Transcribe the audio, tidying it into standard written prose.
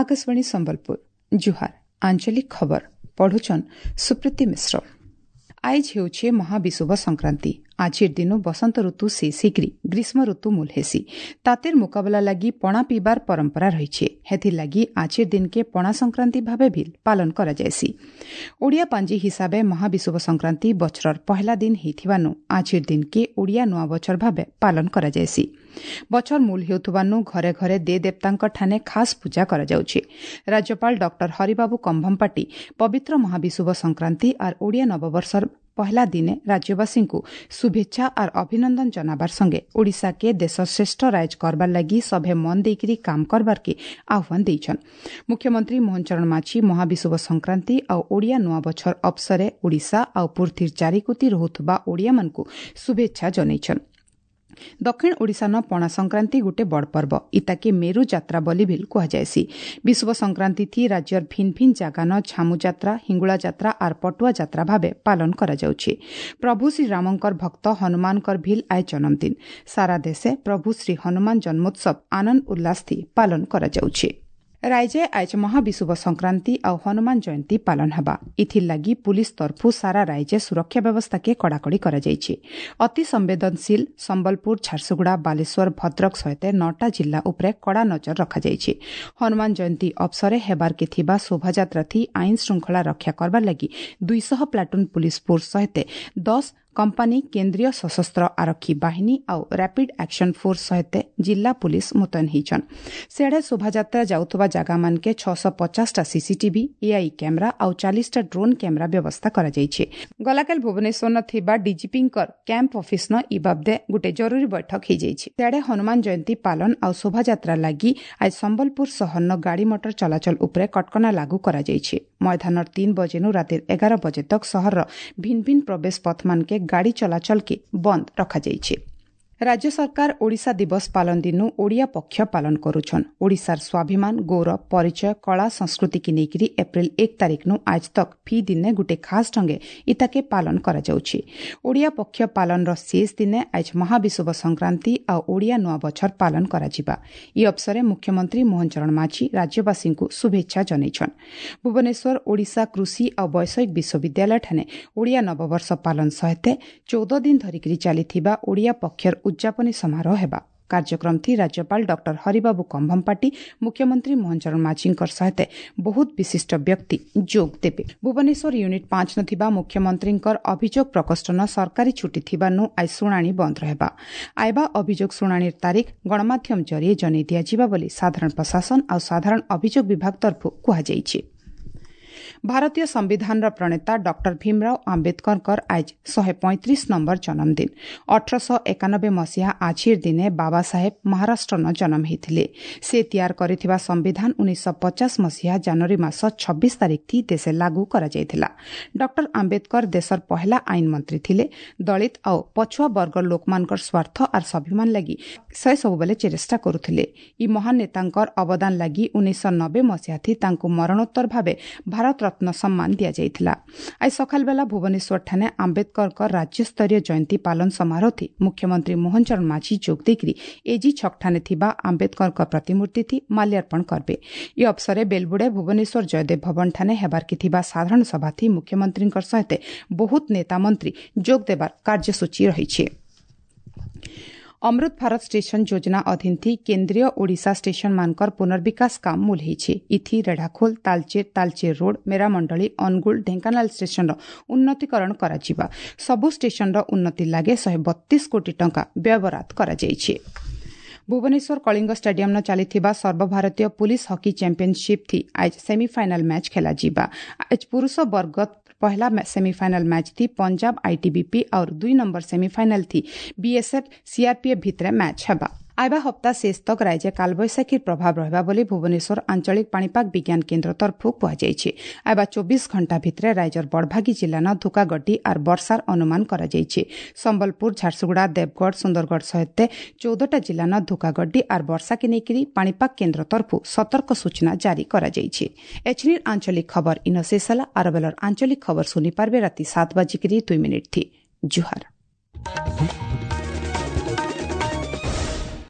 ଆକାଶବାଣୀ ସମ୍ବଲପୁର, ଜୁହାର। ଆଞ୍ଚଳିକ ଖବର ପଢୁଛନ୍ ସୁପ୍ରୀତି ମିଶ୍ର। ଆଇଜ ହେଉଛି ମହାବିଷୁବ ସଂକ୍ରାନ୍ତି। ଆଜିର ଦିନୁ ବସନ୍ତ ଋତୁ ଶେଷ ହେଇକରି ଗ୍ରୀଷ୍ମ ଋତୁ ମୂଲ ହେସି। ତାତିର ମୁକାବିଲା ଲାଗି ପଣା ପିଇବାର ପରମ୍ପରା ରହିଛେ। ହେଥିର୍ଲାଗି ଆଜିର ଦିନକେ ପଣା ସଂକ୍ରାନ୍ତି ଭାବେ ବି ପାଳନ କରାଯାଏସି। ଓଡ଼ିଆ ପାଞ୍ଜି ହିସାବେ ମହାବିଷୁବ ସଂକ୍ରାନ୍ତି ବଛରର ପହଲା ଦିନ ହେଇଥିବାନୁ ଆଜିର ଦିନକେ ଓଡ଼ିଆ ନୂଆ ବଛର ଭାବେ ପାଳନ କରାଯାଏସି। ବଛର ମୂଲ ହେଉଥିବାନୁ ଘରେ ଘରେ ଦେ ଦେବତାଙ୍କ ଠାନେ ଖାସ୍ ପୂଜା କରାଯାଉଛି। ରାଜ୍ୟପାଳ ଡକ୍ଟର ହରିବାବୁ କମ୍ଭମପାଟି ପବିତ୍ର ମହାବିଷୁବ ସଂକ୍ରାନ୍ତି ଆର୍ ଓଡ଼ିଆ ନବବର୍ଷର ପହଲା ଦିନେ ରାଜ୍ୟବାସୀଙ୍କୁ ଶୁଭେଚ୍ଛା ଆର୍ ଅଭିନନ୍ଦନ ଜନାବାର ସଙ୍ଗେ ଓଡ଼ିଶାକେ ଦେଶର ଶ୍ରେଷ୍ଠ ରାଇଜ କରବାର ଲାଗି ସଭେ ମନ ଦେଇକରି କାମ କରବାର୍କେ ଆହ୍ୱାନ ଦେଇଛନ୍। ମୁଖ୍ୟମନ୍ତ୍ରୀ ମୋହନ ଚରଣ ମାଝୀ ମହାବିଷୁବ ସଂକ୍ରାନ୍ତି ଆଉ ଓଡ଼ିଆ ନୂଆ ବଛର ଅବସରେ ଓଡ଼ିଶା ଆଉ ପୃଥିବୀର ଚାରିକୁତି ରହୁଥିବା ଓଡ଼ିଆମାନଙ୍କୁ ଶୁଭେଚ୍ଛା ଜଣାଇଛନ୍। ଦକ୍ଷିଣ ଓଡ଼ିଶାନ ପଣା ସଂକ୍ରାନ୍ତି ଗୋଟେ ବଡ଼ ପର୍ବ। ଇତାକେ ମେରୁ ଯାତ୍ରା ବୋଲି ଭିଲ୍ କୁହାଯାଏସି। ବିଷୁବ ସଂକ୍ରାନ୍ତି ଥି ରାଜ୍ୟର ଭିନ୍ ଭିନ୍ ଜାଗାନ ଝାମୁ ଯାତ୍ରା, ହିଙ୍ଗୁଳା ଯାତ୍ରା ଆର୍ ପଟୁଆ ଯାତ୍ରା ଭାବେ ପାଳନ କରାଯାଉଛି। ପ୍ରଭୁ ଶ୍ରୀରାମଙ୍କର ଭକ୍ତ ହନୁମାନଙ୍କର ଭିଲ୍ ଆଏ ଜନ୍ମଦିନ। ସାରା ଦେଶେ ପ୍ରଭୁ ଶ୍ରୀ ହନୁମାନ ଜନ୍ମୋତ୍ସବ ଆନନ୍ଦ ଉଲ୍ଲାସ ଥି ପାଳନ କରାଯାଉଛି। ରାଇଜେ ଆଇଜ ମହାବିଷୁବ ସଂକ୍ରାନ୍ତି ଆଉ ହନୁମାନ ଜୟନ୍ତୀ ପାଳନ ହେବା। ଇଥିର୍ଲାଗି ପୁଲିସ ତରଫୁ ସାରା ରାଇଜେ ସୁରକ୍ଷା ବ୍ୟବସ୍ଥାକେ କଡ଼ାକଡ଼ି କରାଯାଇଛି। ଅତି ସମ୍ବେଦନଶୀଳ ସମ୍ବଲପୁର, ଝାରସୁଗୁଡ଼ା, ବାଲେଶ୍ୱର, ଭଦ୍ରକ ସହିତ 9ଟା ଜିଲ୍ଲା ଉପରେ କଡ଼ା ନଜର ରଖାଯାଇଛି। ହନୁମାନ ଜୟନ୍ତୀ ଅବସରେ ହେବାର୍କେ ଥିବା ଶୋଭାଯାତ୍ରା ଥି ଆଇନ ଶୃଙ୍ଖଳା ରକ୍ଷା କରବାର ଲାଗି 200 ପ୍ଲାଟୁନ୍ ପୁଲିସ ଫୋର୍ସ ସହିତ 10 କମ୍ପାନୀ କେନ୍ଦ୍ରୀୟ ସଶସ୍ତ୍ର ଆରକ୍ଷୀ ବାହିନୀ ଆଉ ରାପିଡ୍ ଆକ୍ସନ ଫୋର୍ସ ସହିତ ଜିଲ୍ଲା ପୁଲିସ ମୁତୟନ ହେଇଛନ୍। ସିଆଡ଼େ ଶୋଭାଯାତ୍ରା ଯାଉଥିବା ଜାଗାମାନକେ 650ଟା ସିସିଟିଭି, ଏଆଇ କ୍ୟାମେରା ଆଉ 40ଟା ଡ୍ରୋନ୍ କ୍ୟାମେରା ବ୍ୟବସ୍ଥା କରାଯାଇଛି। ଗଲାକାଲି ଭୁବନେଶ୍ୱର ଥିବା ଡିଜିପିଙ୍କର କ୍ୟାମ୍ପ ଅଫିସନ ଇ ବାବଦେ ଗୋଟେ ଜରୁରୀ ବୈଠକ ହେଇଯାଇଛି। ସିଆଡ଼େ ହନୁମାନ ଜୟନ୍ତୀ ପାଳନ ଆଉ ଶୋଭାଯାତ୍ରା ଲାଗି ଆଜି ସମ୍ବଲପୁର ସହରନ ଗାଡ଼ି ମଟର ଚଳାଚଳ ଉପରେ କଟକଣା ଲାଗୁ କରାଯାଇଛି। ମଇଦାନର 3 ବଜେନୁ ରାତିର 11 ବଜେ ତକ ସହରର ଭିନ୍ ଭିନ୍ ପ୍ରବେଶ ପଥମାନକେ ଗାଡ଼ି ଚଳାଚଳକେ ବନ୍ଦ ରଖାଯାଇଛି। ରାଜ୍ୟ ସରକାର ଓଡ଼ିଶା ଦିବସ ପାଳନ ଦିନୁ ଓଡ଼ିଆ ପକ୍ଷ ପାଳନ କରୁଛନ୍। ଓଡ଼ିଶାର ସ୍ୱାଭିମାନ, ଗୌରବ, ପରିଚୟ, କଳା, ସଂସ୍କୃତିକି ନେଇକରି ଏପ୍ରିଲ 1 ତାରିଖନୁ ଆଜ ତକ୍ ଫି ଦିନେ ଗୋଟେ ଖାସ୍ ଢଙ୍ଗେ ଇତାକେ ପାଳନ କରାଯାଉଛି। ଓଡ଼ିଆ ପକ୍ଷ ପାଳନର ଶେଷ ଦିନେ ଆଜ ମହାବିଷୁବ ସଂକ୍ରାନ୍ତି ଆଉ ଓଡ଼ିଆ ନୂଆ ବଛର ପାଳନ କରାଯିବା। ଇ ଅବସରେ ମୁଖ୍ୟମନ୍ତ୍ରୀ ମୋହନ ଚରଣ ମାଝୀ ରାଜ୍ୟବାସୀଙ୍କୁ ଶୁଭେଚ୍ଛା ଜଣାଇଛନ୍। ଭୁବନେଶ୍ୱର ଓଡ଼ିଶା କୃଷି ଆଉ ବୈଷୟିକ ବିଶ୍ୱବିଦ୍ୟାଳୟଠାନେ ଓଡ଼ିଆ ନବବର୍ଷ ପାଳନ ସହିତ 14 ଦିନ ଧରିକରି ଚାଲିଥିବା ଓଡ଼ିଆ ପକ୍ଷର ଉଦ୍ଯାପନୀ ସମାରୋହ ହେବା। କାର୍ଯ୍ୟକ୍ରମ ଥି ରାଜ୍ୟପାଳ ଡକ୍ଟର ହରିବାବୁ କମ୍ଭମପାଟି, ମୁଖ୍ୟମନ୍ତ୍ରୀ ମୋହନ ଚରଣ ମାଝୀଙ୍କର ସହିତ ବହୁତ ବିଶିଷ୍ଟ ବ୍ୟକ୍ତି ଯୋଗ ଦେବେ। ଭୁବନେଶ୍ୱର ୟୁନିଟ୍ 5 ଥିବା ମୁଖ୍ୟମନ୍ତ୍ରୀଙ୍କର ଅଭିଯୋଗ ପ୍ରକୋଷ୍ଠନ ସରକାରୀ ଛୁଟି ଥିବାନୁ ଆଜି ଶୁଣାଣି ବନ୍ଦ ରହିବା। ଆଇବା ଅଭିଯୋଗ ଶୁଣାଣିର ତାରିଖ ଗଣମାଧ୍ୟମ ଜରିଏ ଜଣାଇ ଦିଆଯିବ ବୋଲି ସାଧାରଣ ପ୍ରଶାସନ ଆଉ ସାଧାରଣ ଅଭିଯୋଗ ବିଭାଗ ତରଫରୁ କୁହାଯାଇଛି। ଭାରତୀୟ ସମ୍ବିଧାନର ପ୍ରଣେତା ଡକ୍ଟର ଭୀମରାଓ ଆମ୍ବେଦକରଙ୍କର ଆଜ 135 ନମ୍ବର ଜନ୍ମଦିନ। 1891 ମସିହା ଆଜିର ଦିନେ ବାବା ସାହେବ ମହାରାଷ୍ଟ୍ରନ ଜନ୍ମ ହେଇଥିଲେ। ସେ ତିଆର କରିଥିବା ସମ୍ବିଧାନ 1950 ମସିହା ଜାନୁଆରୀ ମାସ 26 ତାରିଖ ଥି ଦେଶେ ଲାଗୁ କରାଯାଇଥିଲା। ଡକ୍ଟର ଆମ୍ବେଦକର ଦେଶର ପହଲା ଆଇନ ମନ୍ତ୍ରୀ ଥିଲେ। ଦଳିତ ଆଉ ପଛୁଆ ବର୍ଗର ଲୋକମାନଙ୍କର ସ୍ୱାର୍ଥ ଆର୍ ସ୍ୱାଭିମାନ ଲାଗି ସେ ସବୁବେଳେ ଚେଷ୍ଟା କରୁଥିଲେ। ଇ ମହାନ ନେତାଙ୍କର ଅବଦାନ ଲାଗି 1990 ମସିହା ଥି ତାଙ୍କୁ ମରଣୋତ୍ତର ଭାବେ ଭାରତ ରତ୍ନ ସମ୍ମାନ ଦିଆଯାଇଥିଲା। ଆଜି ସକାଳବେଲା ଭୁବନେଶ୍ୱରଠାନେ ଆମ୍ବେଦକରଙ୍କ ରାଜ୍ୟସ୍ତରୀୟ ଜୟନ୍ତୀ ପାଳନ ସମାରୋହ ମୁଖ୍ୟମନ୍ତ୍ରୀ ମୋହନ ଚରଣ ମାଝୀ ଯୋଗ ଦେଇକରି ଏଜି ଛକଠାନେ ଥିବା ଆମ୍ବେଦକରଙ୍କ ପ୍ରତିମୂର୍ତ୍ତି ଥି ମାଲ୍ୟାର୍ପଣ କରିବେ। ଇ ଅବସରେ ବେଲବୁଡ଼େ ଭୁବନେଶ୍ୱର ଜୟଦେବ ଭବନଠାନେ ହେବାର୍କେ ଥିବା ସାଧାରଣ ସଭାଥି ମୁଖ୍ୟମନ୍ତ୍ରୀଙ୍କ ସହିତ ବହୁତ ନେତା ମନ୍ତ୍ରୀ ଯୋଗ ଦେବାର କାର୍ଯ୍ୟସୂଚୀ ରହିଛି। ଅମୃତ ଭାରତ ଷ୍ଟେସନ ଯୋଜନା ଅଧୀନ ଥି କେନ୍ଦ୍ରୀୟ ଓଡ଼ିଶା ଷ୍ଟେସନମାନଙ୍କର ପୁନର୍ବିକାଶ କାମ ମୂଲ ହେଇଛି। ଇଥି ରେଢ଼ାଖୋଲ, ତାଲଚେର, ତାଲଚେର ରୋଡ୍, ମେରାମଣ୍ଡଳୀ, ଅନୁଗୁଳ, ଢେଙ୍କାନାଳ ଷ୍ଟେସନର ଉନ୍ନତିକରଣ କରାଯିବା। ସବୁ ଷ୍ଟେସନର ଉନ୍ନତି ଲାଗି 132 କୋଟି ଟଙ୍କା ବ୍ୟୟବରାଦ କରାଯାଇଛି। ଭୁବନେଶ୍ୱର କଳିଙ୍ଗ ଷ୍ଟାଡିୟମ୍ନ ଚାଲିଥିବା ସର୍ବଭାରତୀୟ ପୁଲିସ ହକି ଚାମ୍ପିୟନସିପ୍ ଥି ଆଜ ସେମିଫାଇନାଲ ମ୍ୟାଚ୍ ଖେଳାଯିବା। ଆଜ ପୁରୁଷ ବର୍ଗ ପହଲା ସେମିଫାଇନାଲ ମ୍ୟାଚ୍ ଥି ପଞ୍ଜାବ ଆଇଟିବିପି और 2 ନମ୍ବର ସେମିଫାଇନାଲ ଥି ବିଏସ୍ଏଫ୍ ସିଆର୍ପିଏଫ୍ ଭିତରେ ମ୍ୟାଚ୍ ହେବା। ଆଇବା ହପ୍ତା ଶେଷ ତକ୍ ରାଇଜେ କାଲବୈଶାଖୀର ପ୍ରଭାବ ରହିବା ବୋଲି ଭୁବନେଶ୍ୱର ଆଞ୍ଚଳିକ ପାଣିପାଗ ବିଜ୍ଞାନ କେନ୍ଦ୍ର ତରଫରୁ କୁହାଯାଇଛି। ଆଇବା 24 ଘଣ୍ଟା ଭିତରେ ରାଇଜର ବଡ଼ଭାଗୀ ଜିଲ୍ଲାନ ଧୁକାଗଡି ଆର୍ ବର୍ଷାର ଅନୁମାନ କରାଯାଇଛି। ସମ୍ବଲପୁର, ଝାରସୁଗୁଡ଼ା, ଦେବଗଡ଼, ସୁନ୍ଦରଗଡ଼ ସହିତ 14ଟା ଜିଲ୍ଲାନ ଧୁକାଗଡି ଆର୍ ବର୍ଷାକେ ନେଇକରି ପାଣିପାଗ କେନ୍ଦ୍ର ତରଫରୁ ସତର୍କ ସୂଚନା ଜାରି କରାଯାଇଛି। ଏଛିନିର ଆଞ୍ଚଳିକ ଖବର ଇନ ଶେଷ ହେଲା। ଆରବେଲର ଆଞ୍ଚଳିକ ଖବର ଶୁଣିପାରିବେ ରାତି 7:02 ଥି। ଜୁହାର।